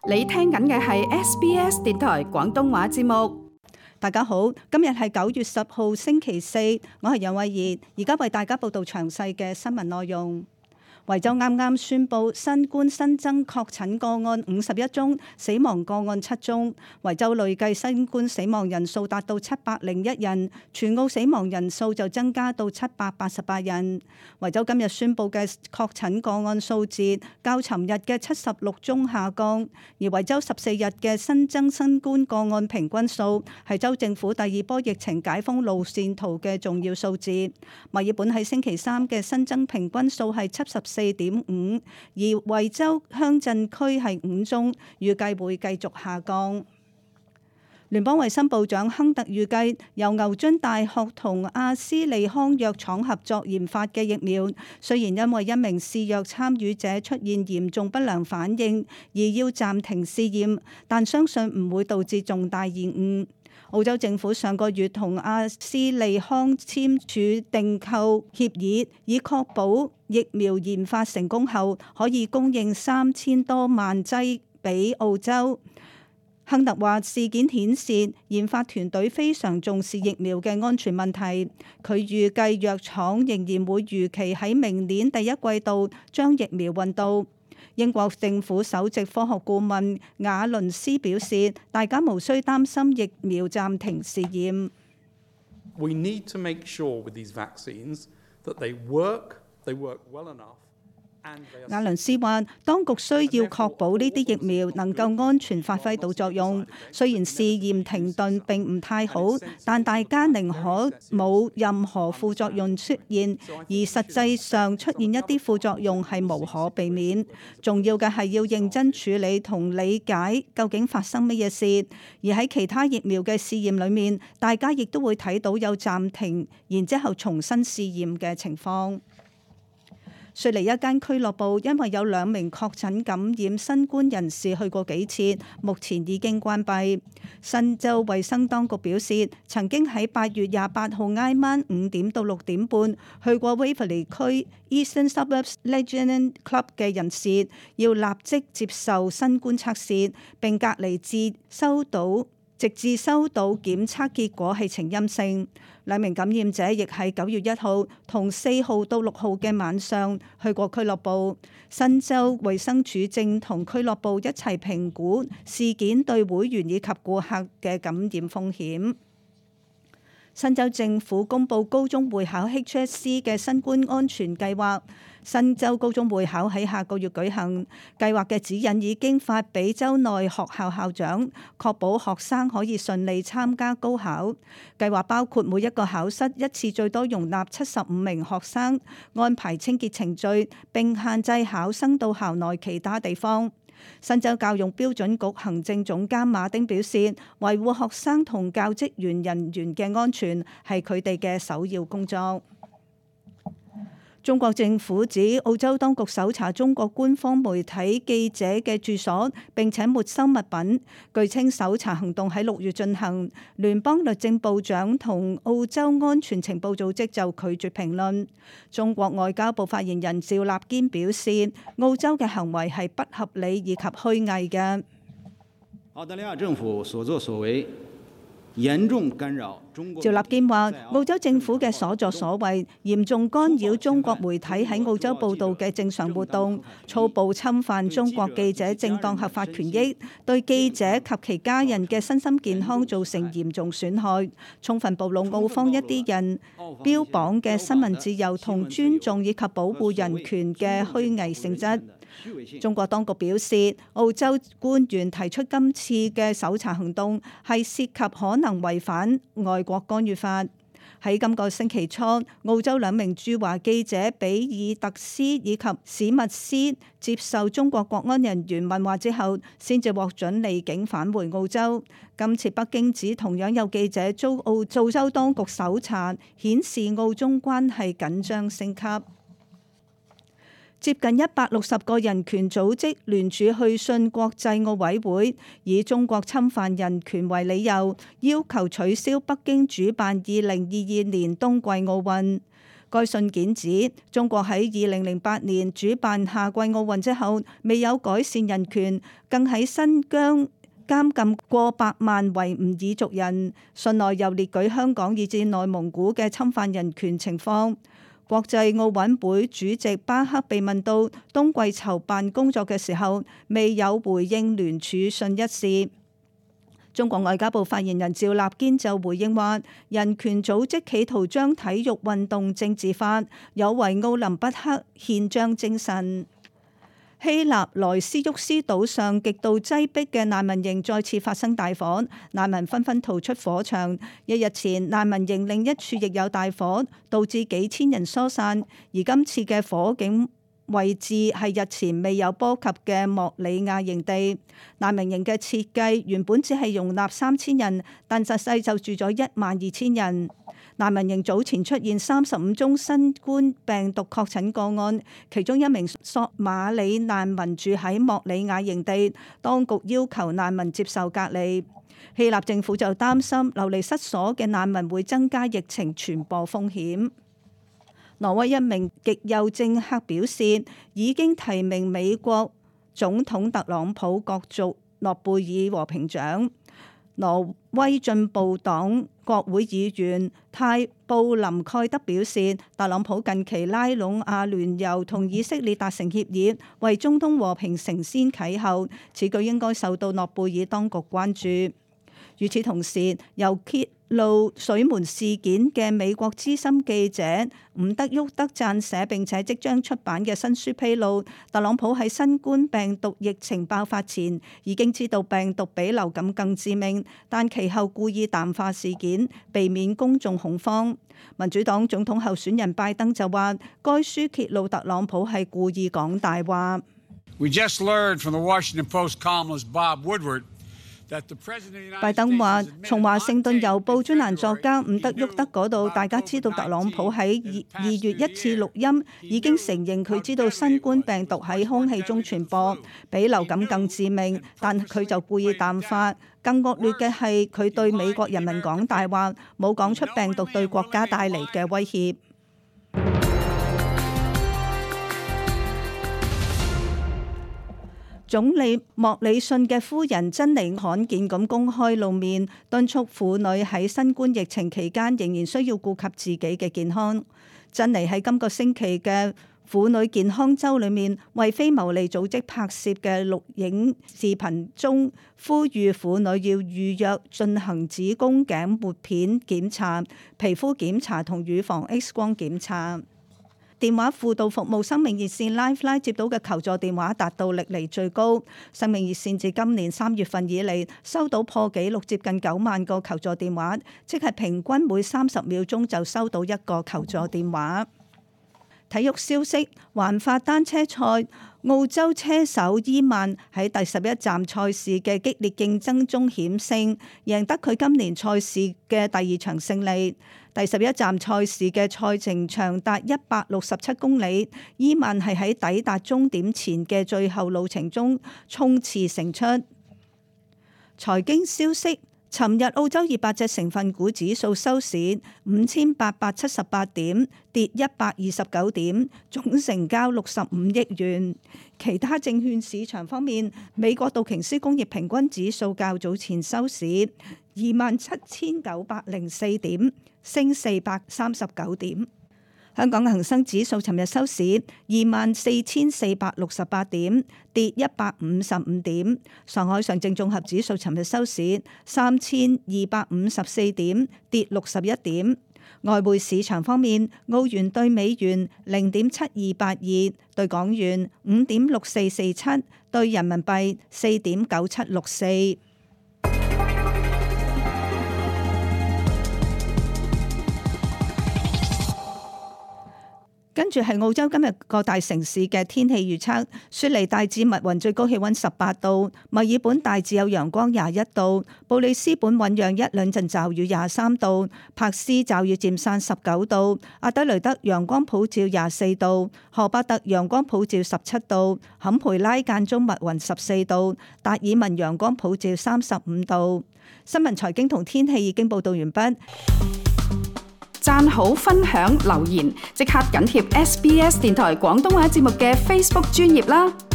你聽緊嘅係 SBS 電台廣東話節目。大家好，今日係9月10號星期四，我係楊慧儀，而家為大家報道詳細嘅新聞內容。維州啱啱宣布新冠新增確診個案51宗，死亡個案7宗。維州累計新冠死亡人數達到701人，全澳死亡人數就增加到788人。維州今日宣布嘅確診個案數字較尋日嘅76宗下降，而維州14日嘅新增新冠個案平均數係州政府第二波疫情解封路線圖嘅重要數字。墨爾本喺星期三嘅新增平均數係74.5，而維州鄉鎮區係5宗，預計會繼續下降。聯邦衛生部長亨特預計，由牛津大學同阿斯利康藥廠合作研發嘅疫苗，雖然因為一名試藥參與者出現嚴重不良反應而要暫停試驗，但相信唔會導致重大延誤。澳洲政府上個月同阿斯利康簽署訂購協議，以確保疫苗研發成功後可以供應3000多萬劑俾澳洲。亨特話：事件顯示研發團隊非常重視疫苗嘅安全問題。佢預計藥廠仍然會如期喺明年第一季度將疫苗運到。英國政府首席科學顧問瓦倫斯表示，大家無需擔心疫苗暫停試驗。We need to make sure with these vaccines that they work well enough. 瓦倫斯話：當局需要確保呢啲疫苗能夠安全發揮到作用。雖然試驗停頓並唔太好，但大家寧可冇任何副作用出現，而實際上出現一啲副作用係無可避免。重要嘅係要認真處理同理解究竟發生乜嘢事。而喺其他疫苗嘅試驗裏面，大家亦都會睇到有暫停，然之後重新試驗嘅情況。雪梨一間俱樂部因為有2名確診感染新冠人士去過幾次，目前已經關閉。新州衛生當局表示，曾經喺8月28號挨晚5點到6點半去過 Waverley 區 Eastern Suburbs Legend Club 嘅人士，要立即接受新冠測試並隔離直至收到檢測結果係呈陰性。2名感染者亦喺9月1號同4號到6號嘅晚上去過俱樂部。新州衛生署正同俱樂部一齊評估事件對會員以及顧客嘅感染風險。新州政府公布高中會考 HSC 嘅新冠安全計劃。新州高中會考喺下個月舉行，計劃嘅指引已經發俾州內學校校長，確保學生可以順利參加高考。計劃包括每一個考室一次最多容納75名學生，安排清潔程序，並限制考生到校內其他地方。新州教育標準局行政總監馬丁表示，維護學生同教職員人員嘅安全係佢哋嘅首要工作。中國政府指澳洲當局搜查中國官方媒體記者嘅住所，並且沒收物品。據稱搜查行動喺6月進行。聯邦律政部長同澳洲安全情報組織就拒絕評論。中國外交部發言人趙立堅表示，澳洲嘅行為係不合理以及虛偽嘅。澳大利亞政府所作所為嚴重干擾中國。趙立堅話：澳洲政府嘅所作所為嚴重干擾中國媒體喺澳洲報導嘅正常活動，粗暴侵犯中國記者正當合法權益，對記者及其家人嘅身心健康造成嚴重損害，充分暴露澳方一啲人標榜嘅新聞自由同尊重以及保護人權嘅虛偽性質。中國當局表示，澳洲官員提出今次嘅搜查行動係涉及可能違反外國干預法。喺今個星期初，澳洲2名駐華記者比爾特斯以及史密斯接受中國國安人員問話之後，先至獲准離境返回澳洲。今次北京指同樣有記者遭澳洲當局搜查，顯示澳中關係緊張升級。接近160個人權組織聯署去信國際奧委會，以中國侵犯人權為理由，要求取消北京主辦2022年冬季奧運。該信件指，中國喺2008年主辦夏季奧運之後，未有改善人權，更喺新疆監禁過百萬維吾爾族人。信內又列舉香港以至內蒙古嘅侵犯人權情況。國際奧委會主席巴克被問到冬季籌辦工作嘅時候，未有回應聯署信一事。中國外交部發言人趙立堅就回應話，人權組織企圖將體育運動政治化，有違奧林匹克憲章精神。希臘萊斯沃斯島上極度擠迫嘅難民營再次發生大火，難民紛紛逃出火場。一日前，難民營另一處亦有大火，導致幾千人疏散。而今次嘅火警位置係日前未有波及嘅莫里亞營地。難民營嘅設計原本只係容納3000人，但實際就住咗12000人。難民營早前出現35宗新冠病毒確診個案，其中一名索馬里難民住喺莫里亞營地，當局要求難民接受隔離。希臘政府就擔心流離失所嘅難民會增加疫情傳播風險。挪威一名極右政客表示，已經提名美國總統特朗普角逐諾貝爾和平獎。挪威進步黨國會議員泰布林蓋德表示，特朗普近期拉攏阿聯酋同以色列達成協議，為中東和平承先啟後，此舉應該受到諾貝爾當局關注。與此同時，由揭露水門事件嘅美國資深記者伍德沃德撰寫並且即將出版嘅新書披露，特朗普喺新冠病毒疫情爆發前已經知道病毒比流感更致命，但其後故意淡化事件，避免公眾恐慌。民主黨總統候選人拜登就話，該書揭露特朗普係故意講大話。We just learned from the Washington Post columnist Bob Woodward。拜登話：從華盛頓郵報專欄作家伍德沃德嗰度，大家知道特朗普喺2月一次錄音已經承認佢知道新冠病毒喺空氣中傳播，比流感更致命，但佢就故意淡化。更惡劣嘅係佢對美國人民講大話，冇講出病毒對國家帶嚟嘅威脅。總理莫里遜嘅夫人珍妮罕見咁公開露面，敦促婦女喺新冠疫情期間仍然需要顧及自己嘅健康。珍妮喺今個星期嘅婦女健康週裏面，為非牟利組織拍攝嘅錄影視頻中，呼籲婦女要預約進行子宮頸抹片檢查、皮膚檢查同乳房 X 光檢查。電話輔導服務生命熱線 Lifeline 接到嘅求助電話達到歷嚟最高。生命熱線自今年3月份以嚟收到破紀錄接近9萬個求助電話，即係平均每30秒鐘就收到一個求助電話。體育消息：環法單車賽，澳洲車手伊曼喺第11站賽事嘅激烈競爭中險勝，贏得佢今年賽事嘅第2場勝利。第11站賽事嘅賽程長達167公里，伊曼係喺抵達終點前嘅最後路程中衝刺勝出。財經消息：尋日澳洲200隻成分股指數收市5878點，跌129點，總成交65億元。其他證券市場方面，美國道瓊斯工業平均指數較早前收市27904點，升439點。香港恒生指數尋日收市24468點，跌155點。上海上證綜合指數尋日收市3254點，跌61點。外匯市場方面，澳元對美元0.7282，對港元5.6447，對人民幣4.9764。跟住係澳洲今日各大城市嘅天氣預測：雪梨大致密雲，最高氣溫18度；墨爾本大致有陽光21度；布里斯本醞釀1兩陣驟雨23度；柏斯驟雨漸散19度；阿德雷德陽光普照24度；荷巴特陽光普照17度；坎培拉間中密雲14度；達爾文陽光普照35度。新聞財經同天氣已經報道完畢。讚好、分享、留言，即刻緊貼SBS 電台廣東話節目嘅 Facebook 專頁啦！